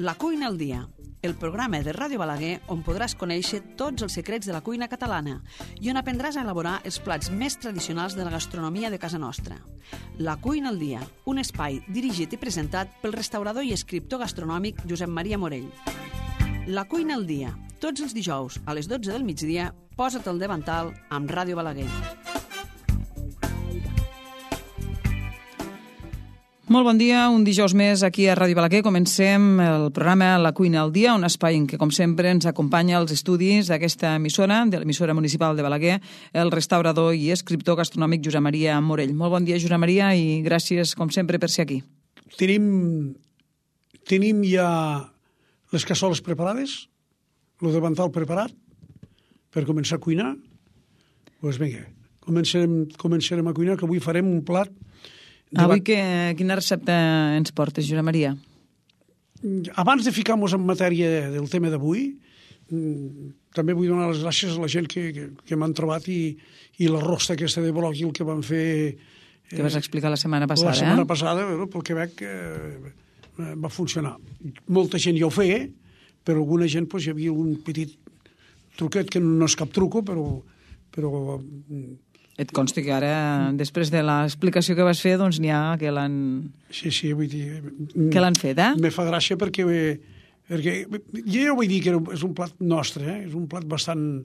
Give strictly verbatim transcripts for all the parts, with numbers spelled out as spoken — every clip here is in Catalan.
La cuina al dia, el programa de Ràdio Balaguer on podràs conèixer tots els secrets de la cuina catalana i on aprendràs a elaborar els plats més tradicionals de la gastronomia de casa nostra. La cuina al dia, un espai dirigit i presentat pel restaurador i escriptor gastronòmic Josep Maria Morell. La cuina al dia, tots els dijous a les dotze del migdia, posa't al davantal amb Ràdio Balaguer. Molt bon dia, un dijous més aquí a Ràdio Balaguer. Comencem el programa La cuina al dia, un espai en què, com sempre, ens acompanya als estudis d'aquesta emissora, de l'emissora municipal de Balaguer, el restaurador i escriptor gastronòmic Josep Maria Morell. Molt bon dia, Josep Maria, i gràcies, com sempre, per ser aquí. Tenim, tenim ja les cassoles preparades, el davantal preparat per començar a cuinar. Doncs vinga, començarem, començarem a cuinar, que avui farem un plat. Avui que, quina recepta ens portes, Josep Maria? Abans de ficar-nos en matèria del tema d'avui, també vull donar les gràcies a la gent que, que, que m'han trobat i, i la rosta aquesta de bròquil que van fer... Que vas explicar la setmana passada, La setmana eh? passada, però, pel que veig, eh, va funcionar. Molta gent ja ho feia, però alguna gent doncs, hi havia un petit truquet que no és cap truco, però... però Et consta que ara, després de l'explicació que vas fer, doncs n'hi ha que l'han... Sí, sí, vull dir... Que l'han fet, eh? Me fa gràcia perquè... perquè jo ja vull dir que és un plat nostre, eh? És un plat bastant...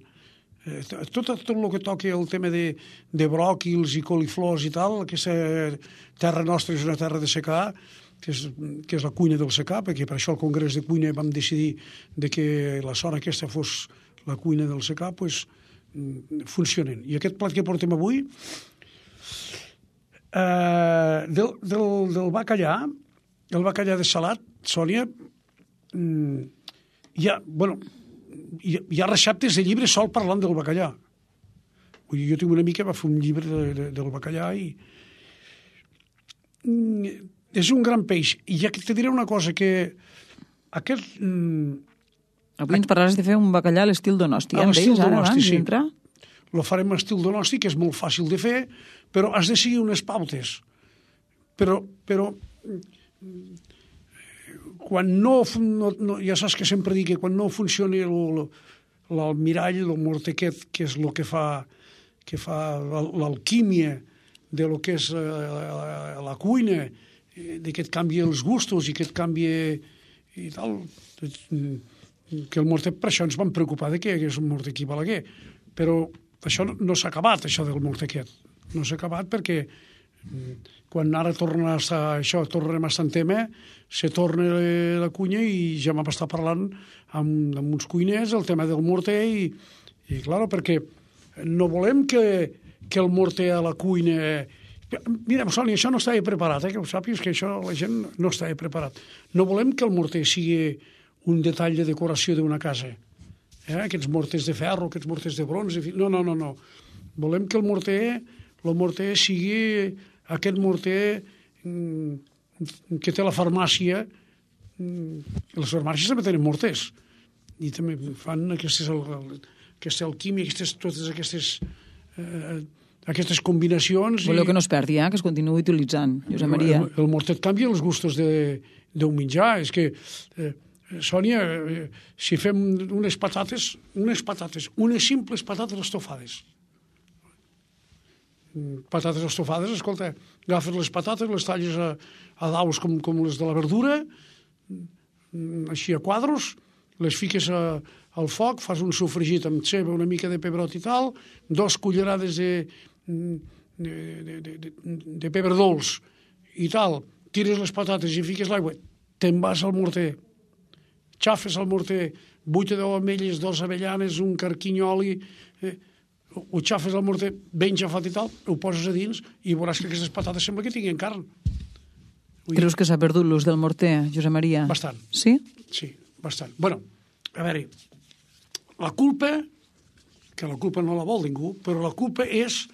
Eh, tot, tot el que toca el tema de, de bròquils i coliflors i tal, aquesta terra nostra és una terra de secà, que és, que és la cuina del secà, perquè per això al Congrés de Cuina vam decidir de que la zona aquesta fos la cuina del secà, doncs... funcionen. I aquest plat que portem avui eh, del, del, del bacallà, el bacallà de salat, Sònia, mm, hi ha, bueno, hi, hi ha receptes de llibre sol parlant del bacallà. Vull dir, jo tinc una amiga que va fer un llibre de, de, del bacallà i mm, és un gran peix. I ja que te diré una cosa, que aquest... Mm, Avui ens parlaràs de fer un bacallà a l'estil Donosti. A l'estil Donosti, sí. Lo farem a estil Donosti, que és molt fàcil de fer, però has de seguir unes pautes. Però, però quan no, no, no... Ja saps que sempre dic que quan no funcioni l'almirall, el morter aquest, que és el que fa, que fa l'alquímia de lo que és la, la cuina, de que et canvia els gustos i que et canvia i tal... que el morter, per això ens vam preocupar de que hi hagués un morter aquí a Balaguer, però això no, no s'ha acabat, això del morter aquest. No s'ha acabat perquè quan ara torna a estar, això, tornarem a estar en tema, se torna la cuina i ja vam estar parlant amb, amb uns cuiners el tema del morter i, i clar, perquè no volem que, que el morter a la cuina... Mira, Sònia, això no estava preparat, eh, que ho sàpigues, que això la gent no estava preparat. No volem que el morter sigui un detall de decoració d'una casa. Eh? Aquests morters de ferro, aquests morters de bronze... No, no, no, no. Volem que el morter, el morter sigui aquest morter mm, que té la farmàcia. Mm, les farmàcies també tenen morters. I també fan aquestes, aquesta alquímia, aquestes, totes aquestes... Eh, aquestes combinacions... Voleu i... que no es perdi, eh? Que es continuï utilitzant, Josep Maria. El, el morter et canvia els gustos d'un menjar. És que... Eh, Sònia, si fem unes patates, unes patates, unes simples patates estofades. Patates estofades, escolta, agafes les patates, les talles a, a daus com, com les de la verdura, així a quadros, les fiques a, al foc, fas un sofregit amb ceba, una mica de pebrot i tal, dos cullerades de, de, de, de, de, de pebre dolç i tal, tires les patates i fiques l'aigua, te'n vas al morter, xafes al morter, vuita deu ametlles, dos avellanes, un carquinyoli, eh, ho xafes al morter ben xafat i tal, ho poses a dins i veuràs que aquestes patates sembla que tinguin carn. Vull Creus dir... que s'ha perdut l'ús del morter, Josep Maria? Bastant. Sí? Sí, bastant. Bueno, a veure, la culpa, que la culpa no la vol ningú, però la culpa és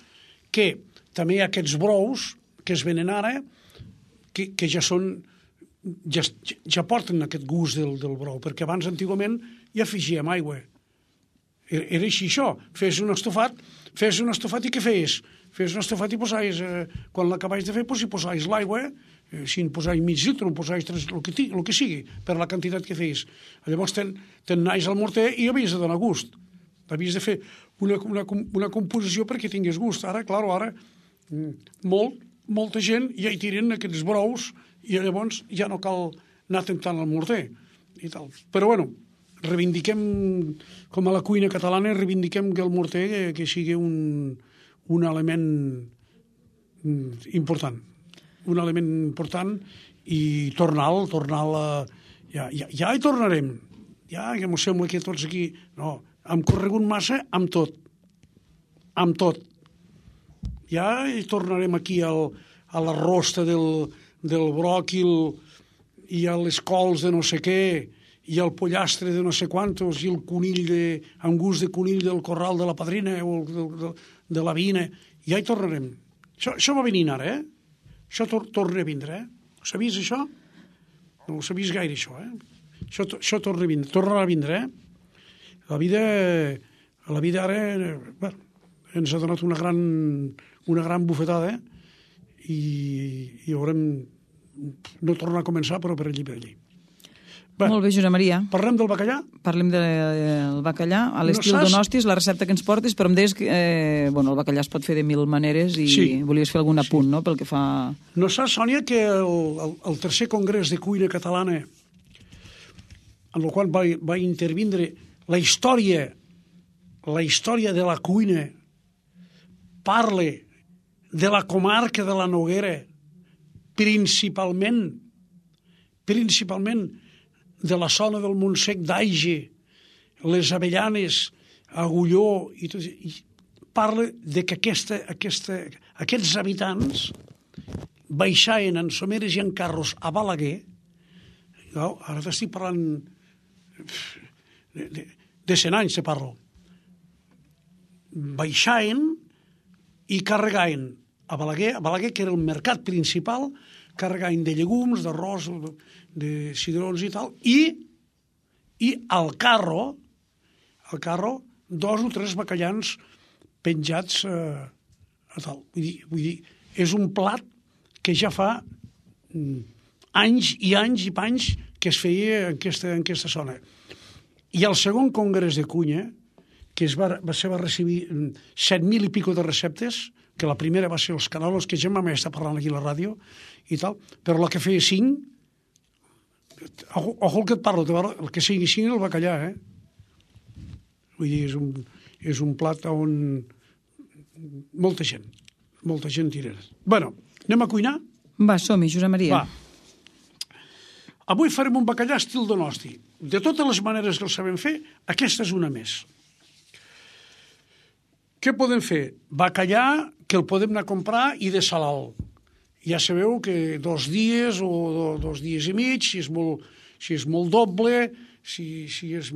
que també hi ha aquests brous que es venen ara, que, que ja són... Ja, ja porten aquest gust del, del brou, perquè abans, antigament, ja afegíem aigua. Era, era així, això. Fes un estofat, fes un estofat i què feies? Fes un estofat i posaves, eh, quan l'acabaves de fer, doncs hi posaves l'aigua, eh, si en posais mig litre, en posais tres, el que, el que sigui, per la quantitat que feis. Llavors ten, ten naix al morter i havies de donar gust. Havies de fer una, una, una composició perquè tingués gust. Ara, clar, ara, molt, molta gent ja hi tiren aquests brous i llavors ja no cal anar tentant al morter i tal. Però, bueno, reivindiquem, com a la cuina catalana, reivindiquem que el morter que, que sigui un, un element important. Un element important i tornar-lo, tornar-lo... Ja, ja, ja hi tornarem. Ja, que m'ho sembla que tots aquí... No, hem corregut massa amb tot. Amb tot. Ja hi tornarem aquí al, a la rosta del, del bròquil i a les cols de no sé què i el pollastre de no sé quantos i el conill de, amb gust de conill del corral de la padrina o de, de, de la vina. Ja hi tornarem. Això, això va venint ara, eh? Això tor torna a vindre, eh? Ho sabies, això? No ho sabies gaire, això, eh? Això, això torna a vindre, torna a vindre, eh? La vida, la vida ara, bueno, ens ha donat una gran, una gran bufetada, eh? I, i haurem no tornar a començar, però per allí, per allí. Bé, molt bé, Josep Maria. Parlem del bacallà? Parlem del bacallà, a l'estil no saps... Donostis, la recepta que ens portes, però em deies que eh, bueno, el bacallà es pot fer de mil maneres i sí. Volies fer algun apunt, sí. No?, pel que fa... No saps, Sònia, que el, el, el tercer congrés de cuina catalana, en el qual va, va intervindre la història, la història de la cuina, parla de la comarca de la Noguera, principalment, principalment, de la zona del Montsec d'Aige, les Avellanes, Agulló, i tot, i parla de que aquesta, aquesta, aquests habitants baixaven en someres i en carros a Balaguer. No, ara t'estic parlant de, de, de cent anys, te parlo. Baixaven i carregaven a Balaguer, a Balaguer, que era el mercat principal, carregaven de llegums, d'arròs, de cigrons i tal, i, i al carro, al carro, dos o tres bacallans penjats eh, a tal. Vull dir, vull dir, és un plat que ja fa mm, anys i anys i panys que es feia en aquesta, en aquesta zona. I el segon congrés de cuina, que es va, va, ser, va recibir set mil i pico de receptes, que la primera va ser els canolos, que ja m'ha estat parlant aquí a la ràdio, i tal, però la que feia cinc, ojo, ojo el que et parlo, el que sigui cinc el bacallà, eh? Vull dir, és un, és un plat on molta gent, molta gent tira. Bueno, anem a cuinar? Va, som-hi, Josep Maria. Va. Avui farem un bacallà estil Donosti. De totes les maneres que el sabem fer, aquesta és una més. Què podem fer? Bacallà que el podem anar a comprar i de salal. Ja sabeu que dos dies o dos dies i mig, si és molt, si és molt doble, si, si és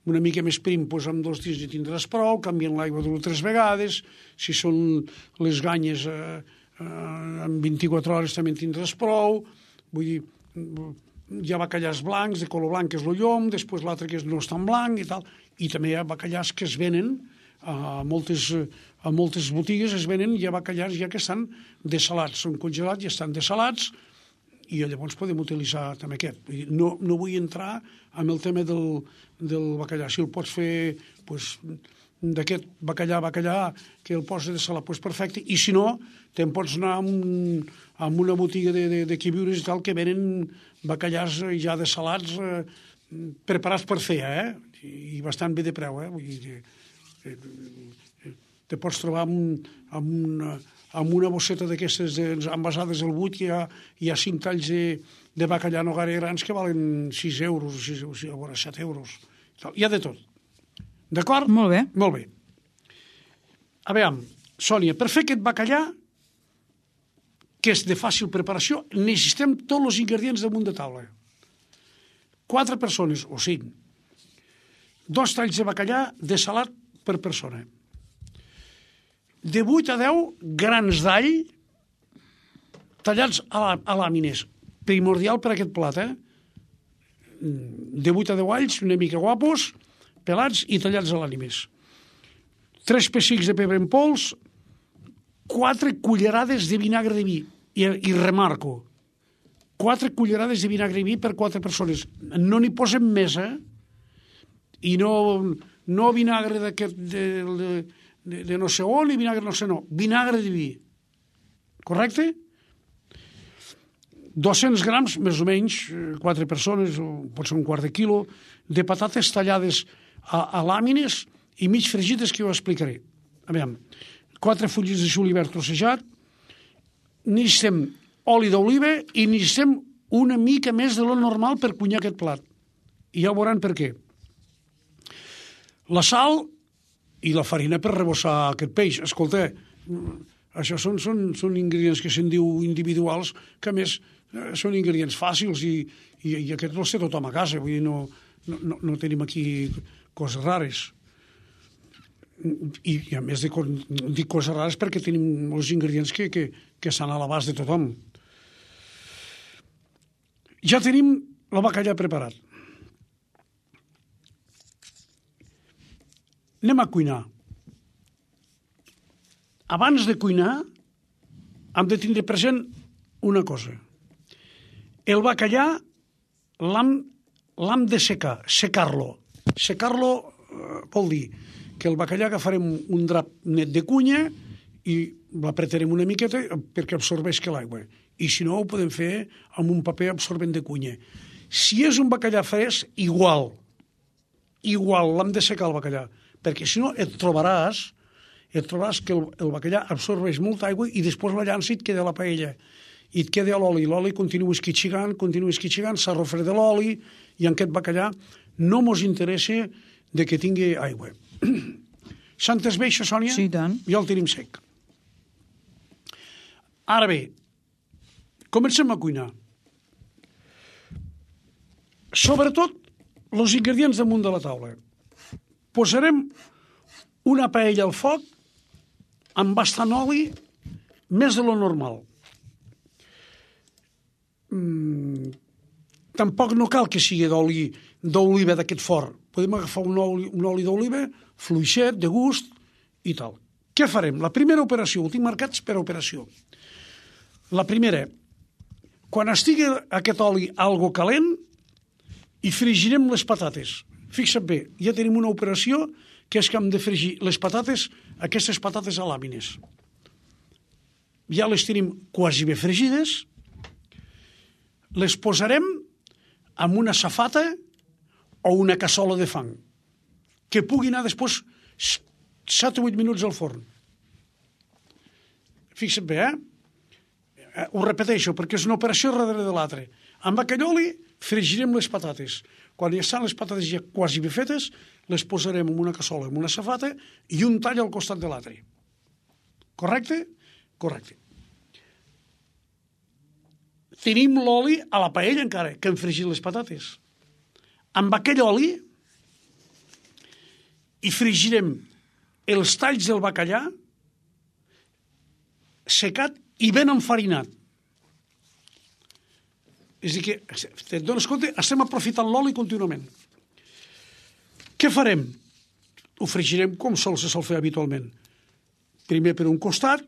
una mica més prim, doncs amb dos dies ja tindràs prou, canvien l'aigua dues o tres vegades, si són les ganyes eh, eh, en vint-i-quatre hores també en tindràs prou, vull dir, hi ha bacallars blancs, de color blanc, que és el llom, després l'altre que no és tan blanc i tal, i també hi ha bacallars que es venen a moltes, a moltes botigues, es venen ja bacallars ja que estan dessalats, són congelats i estan dessalats, i llavors podem utilitzar també aquest. No, no vull entrar en el tema del, del bacallà. Si el pots fer pues, d'aquest bacallà, bacallà, que el pots dessalar, pues, perfecte, i si no, te'n pots anar a, un, a una botiga de, de, de quibiures i tal, que venen bacallars ja dessalats, eh, preparats per fer, eh? I bastant bé de preu, eh? Vull dir, te pots trobar amb, amb, una, amb una bosseta d'aquestes envasades al buit, que hi ha, hi ha cinc talls de, de bacallà nogara grans que valen sis euros, sis, a veure, set euros. Hi ha de tot. D'acord? Molt bé. Molt bé. A veure, Sònia, per fer aquest bacallà, que és de fàcil preparació, necessitem tots els ingredients damunt de taula. Quatre persones, o cinc. Dos talls de bacallà dessalat per persona. De vuit a deu grans d'all tallats a, la, a làmines. Primordial per aquest plat, eh? De vuit a deu alls, una mica guapos, pelats i tallats a làmines. Tres pessics de pebre en pols, quatre cullerades de vinagre de vi. I, i remarco, quatre cullerades de vinagre i vi per quatre persones. No n'hi posem més, eh? I no, no vinagre d'aquest, de, de, de, de no sé on, ni vinagre no sé no. Vinagre de vi. Correcte? dos-cents grams, més o menys, quatre persones, o pot ser un quart de quilo, de patates tallades a, a làmines i mig fregides, que jo explicaré. A veure, quatre fulles de julivert trossejat, necessitem oli d'oliva i necessitem una mica més de lo normal per cuinar aquest plat. I ja ho veuran per què. La sal i la farina per rebossar aquest peix. Escolta, això són, són, són ingredients que se'n diu individuals, que a més són ingredients fàcils i, i, i aquests els té tothom a casa. Vull dir, no, no, no tenim aquí coses rares. I, i a més dic, dic coses rares perquè tenim els ingredients que, que, que estan a l'abast de tothom. Ja tenim el bacallà preparat. Anem a cuinar. Abans de cuinar hem de tindre present una cosa. El bacallà l'hem, l'hem de secar, secar-lo. Secar-lo eh, vol dir que el bacallà agafarem un drap net de cunya i l'apretarem una miqueta perquè absorbeixi l'aigua. I si no, ho podem fer amb un paper absorbent de cunya. Si és un bacallà fresc, igual. Igual, l'hem de secar el bacallà. Perquè si no et trobaràs, et trobaràs que el, el bacallà absorbeix molta aigua i després la llança i et queda la paella. I et queda l'oli. L'oli continua esquitxigant, continua esquitxigant, s'ha refredat l'oli i en aquest bacallà no mos interessa de que tingui aigua. S'ha entès bé això, Sònia? Sí, tant. Ja el tenim sec. Ara bé, comencem a cuinar. Sobretot, els ingredients damunt de la taula. Posarem una paella al foc amb bastant oli, més de lo normal. Mm, tampoc no cal que sigui d'oli d'oliva d'aquest fort. Podem agafar un oli, un oli d'oliva fluixet, de gust i tal. Què farem? La primera operació, ho tinc marcats per operació. La primera, quan estigui aquest oli algo calent, hi fregirem les patates. Fixa't bé, ja tenim una operació que és que hem de fregir les patates, aquestes patates a làmines. Ja les tenim quasi bé fregides, les posarem en una safata o una cassola de fang, que pugui anar després set o vuit minuts al forn. Fixa't bé, eh? Ho repeteixo, perquè és una operació darrere de l'altra. Amb aquell oli fregirem les patates. Quan ja estan les patates ja quasi bé fetes, les posarem en una cassola, en una safata, i un tall al costat de l'altre. Correcte? Correcte. Tenim l'oli a la paella encara, que hem fregit les patates. Amb aquell oli hi fregirem els talls del bacallà secat i ben enfarinat. És a dir que, te'n dones compte, estem aprofitant l'oli contínuament. Què farem? Ho fregirem com sol se sol fer habitualment. Primer per un costat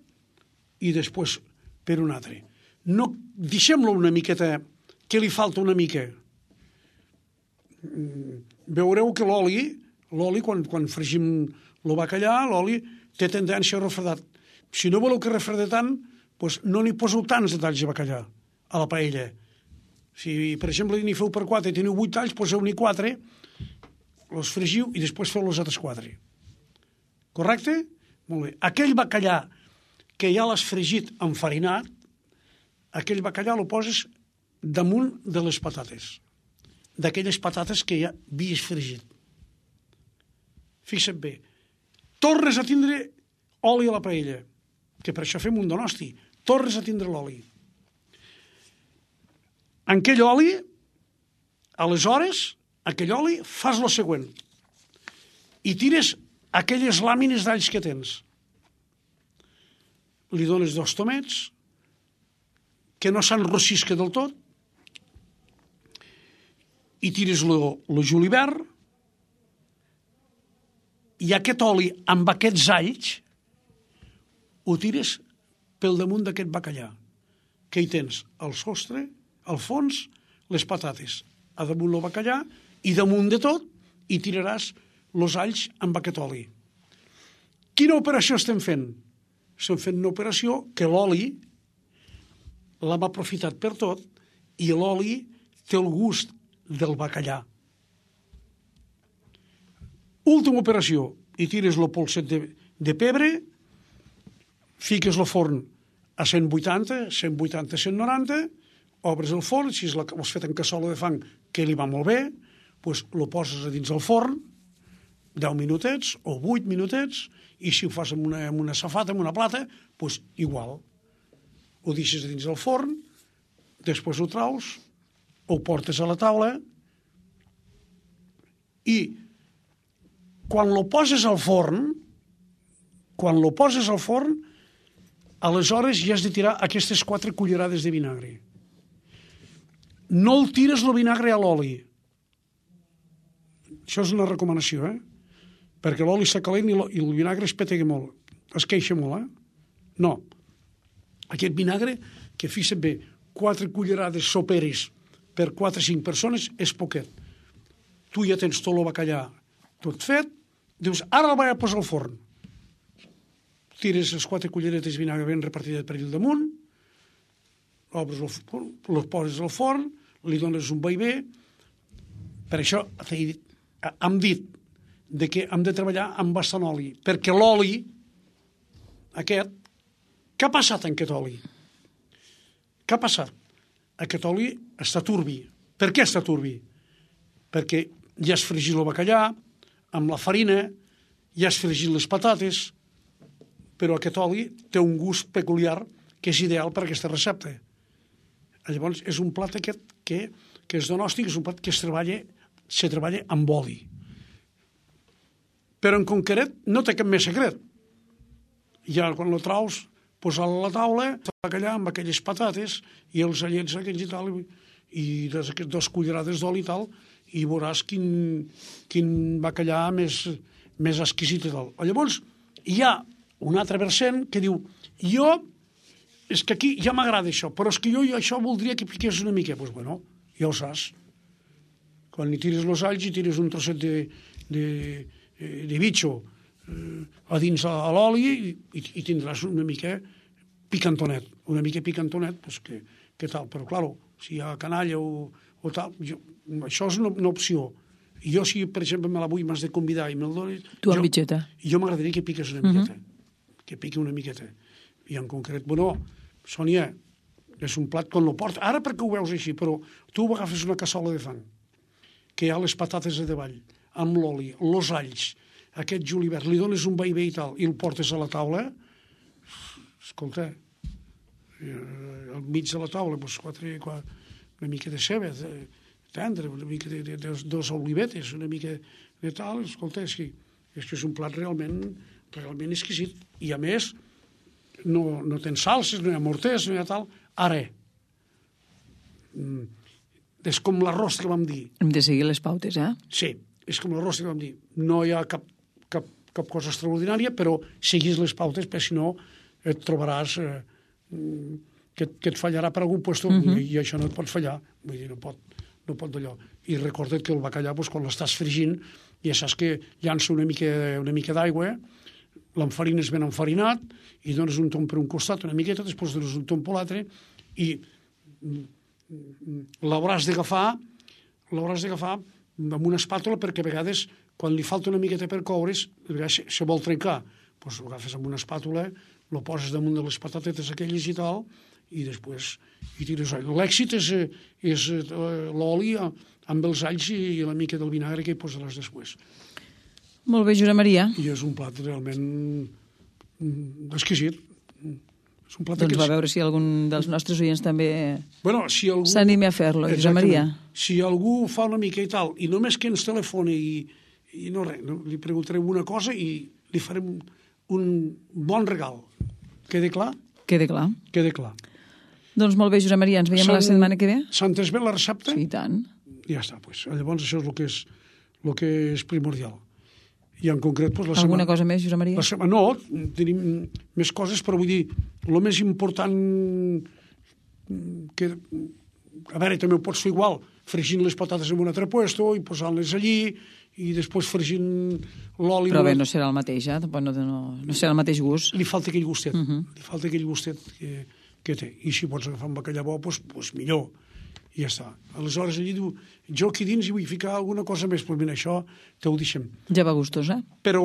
i després per un altre. No, deixem-lo una miqueta, que li falta una mica. Veureu que l'oli, l'oli quan, quan fregim el bacallà, l'oli té tendència a refredar. Si no voleu que refredi tant, doncs no n'hi poseu tants de talls de bacallà a la paella. Si, per exemple, n'hi feu per quatre i teniu vuit talls, poseu-n'hi quatre, els fregiu i després feu els altres quatre. Correcte? Molt bé. Aquell bacallà que ja l'has fregit enfarinat, aquell bacallà el poses damunt de les patates, d'aquelles patates que ja havies fregit. Fixa't bé. Tornes a tindre oli a la paella, que per això fem un donosti. Tornes a tindre l'oli. En aquell oli, aleshores, aquell oli, fas el següent. I tires aquelles làmines d'alls que tens. Li dones dos tomets, que no s'enrossisca del tot, i tires el julivert, i aquest oli amb aquests alls ho tires pel damunt d'aquest bacallà, que hi tens el sostre, al fons les patates, a damunt el bacallà, i damunt de tot hi tiraràs els alls amb aquest oli. Quina operació estem fent? Estem fent una operació que l'oli l'hem aprofitat per tot i l'oli té el gust del bacallà. Última operació, hi tires el polset de, de pebre, fiques el forn a cent vuitanta, cent vuitanta, cent noranta, obres el forn, si l'has fet en cassola de fang, que li va molt bé, doncs el poses a dins del forn, deu minutets o vuit minutets, i si ho fas amb una, amb una safata, amb una plata, doncs igual. Ho deixes a dins del forn, després ho traus, ho portes a la taula, i quan lo poses al forn, quan lo poses al forn, aleshores ja has de tirar aquestes quatre cullerades de vinagre. No el tires el vinagre a l'oli. Això és una recomanació, eh? Perquè l'oli està calent i el vinagre es petega molt. Es queixa molt, eh? No. Aquest vinagre, que fixa't bé, quatre cullerades soperes per quatre o cinc persones és poquet. Tu ja tens tot el bacallà tot fet, dius, ara el vaig a posar al forn. Tires les quatre culleretes de vinagre ben repartides per allà damunt, obres el forn, les poses al forn, li dones un vaivé. Per això hem dit de que hem de treballar amb bastant oli, perquè l'oli aquest, què ha passat en aquest oli? Què ha passat? Aquest oli està turbi. Per què està turbi? Perquè ja has fregit el bacallà amb la farina, ja has fregit les patates, però aquest oli té un gust peculiar que és ideal per a aquesta recepta. Llavors, és un plat aquest que, que és donòstic, és un plat que es treballa, se treballa amb oli. Però en concret no té cap més secret. Ja quan lo traus, posar-lo a la taula, el bacallà amb aquelles patates i els allets aquells i tal, i des dos cullerades d'oli i tal, i veuràs quin, quin bacallà més, més exquisit i tal. Llavors, hi ha un altre versant que diu, jo, és que aquí ja m'agrada això, però és que jo, jo això voldria que piqués una mica. Doncs pues bueno, ja ho saps. Quan hi tires els alls i tires un trosset de, de, de bitxo eh, a dins a l'oli i, i tindràs una mica picantonet. Una mica picantonet, pues que, que tal. Però, clar, si hi ha canalla o, o tal, jo, això és una, una opció. I jo, si, per exemple, me la vull, m'has de convidar i me'l dones... Tu amb mitjeta. Jo m'agradaria que piques una miqueta. Uh -huh. Que piqui una miqueta. I en concret, bueno, Sònia, és un plat quan lo porta. Ara perquè ho veus així, però tu agafes una cassola de fang, que hi ha les patates a davall, amb l'oli, els alls, aquest julivert, li dones un vaivé i tal, i el portes a la taula, escolta, al mig de la taula, doncs, quatre, quatre, una mica de ceba, de, tendre, una mica de, de, de dos olivetes, una mica de tal, escolta, és que és, que és un plat realment, realment exquisit. I a més, no, no tens salses, no hi ha morters, no hi ha tal. Ara, és com l'arròs que vam dir. Hem de seguir les pautes, eh? Sí, és com l'arròs que vam dir. No hi ha cap, cap, cap cosa extraordinària, però seguis les pautes, perquè si no et trobaràs eh, que, que et fallarà per algun lloc, uh -huh. i, i això no et pot fallar. Vull dir, no pot, no pot d'allò. I recorda't que el bacallà, doncs, quan l'estàs fregint, ja saps que llança una mica, una mica d'aigua, l'enfarines ben enfarinat, i dones un tom per un costat, una miqueta, després dones un tom per l'altre, i l'hauràs d'agafar l'hauràs d'agafar amb una espàtula, perquè a vegades, quan li falta una miqueta per coure's, a vegades se vol trencar. Doncs ho agafes amb una espàtula, lo poses damunt de les patatetes aquelles i tal, i després hi tires oli. L'èxit és, és l'oli amb els alls i la mica del vinagre que hi posaràs després. Molt bé, Josep Maria. I és un plat realment exquisit. És un plat doncs va veure si algun dels nostres oients també bueno, si algú... s'animi a fer-lo, Josep Maria. Si algú fa una mica i tal, i només que ens telefoni i, i no res, no, li preguntarem una cosa i li farem un bon regal. Quede clar? Quede clar. Quede clar. Doncs molt bé, Josep Maria, ens veiem la setmana que ve? S'entès bé la recepta? Sí, i tant. Ja està, doncs. Llavors això és el que és, el que és primordial. I en concret... Doncs, la Alguna setmana, cosa més, Josep Maria? La setmana, no, tenim més coses, però vull dir, el més important que, a veure, també ho pots fer igual, fregint les patates en un altre puesto i posant-les allí, i després fregint l'oli... Però bé, no serà el mateix, eh? No, no, no serà el mateix gust. Li falta aquell gustet, uh Mhm. -huh. li falta aquell gustet que, que té. I si pots agafar un bacallà bo, doncs, doncs millor. I ja està. Aleshores, allí diu, jo aquí dins hi vull ficar alguna cosa més, doncs mira, això te ho deixem. Ja va gustos, eh? Però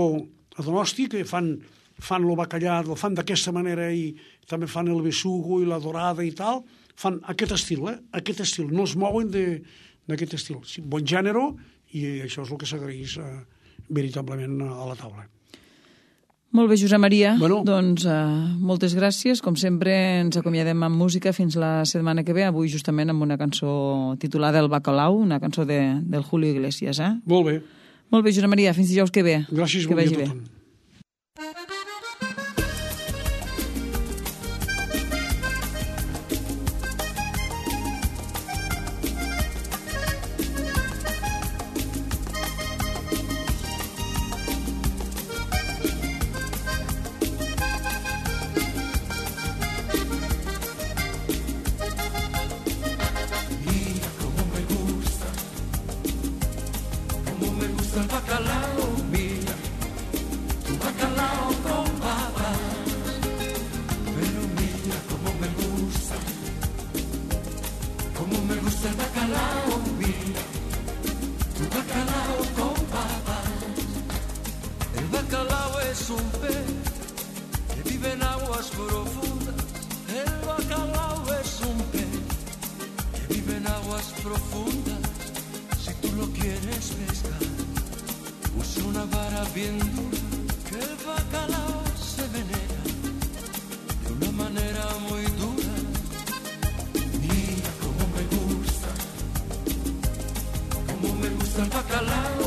a Donosti, que fan, fan el bacallà, el fan d'aquesta manera i també fan el besugo i la dorada i tal, fan aquest estil, eh? Aquest estil, no es mouen d'aquest estil. Sí, bon gènere, i això és el que s'agraeix eh, veritablement a la taula. Molt bé, Josep Maria. Bueno. Doncs uh, moltes gràcies. Com sempre, ens acomiadem amb música fins la setmana que ve, avui justament amb una cançó titulada El Bacalao, una cançó de, del Julio Iglesias, eh? Molt bé. Molt bé, Josep Maria, fins dijous que ve. Gràcies, que bon dia vagi a bé. tothom. El bacalao, mira, tu bacalao con papas, pero mira cómo me gusta, cómo me gusta el bacalao, mira, tu bacalao con papas. El bacalao es un pez que vive en aguas profundas, el bacalao es un pez que vive en aguas profundas, si tú lo quieres pescar. Usa una vara bien dura, que el bacalao se venera de una manera muy dura. Mira cómo me gusta, cómo me gusta el bacalao.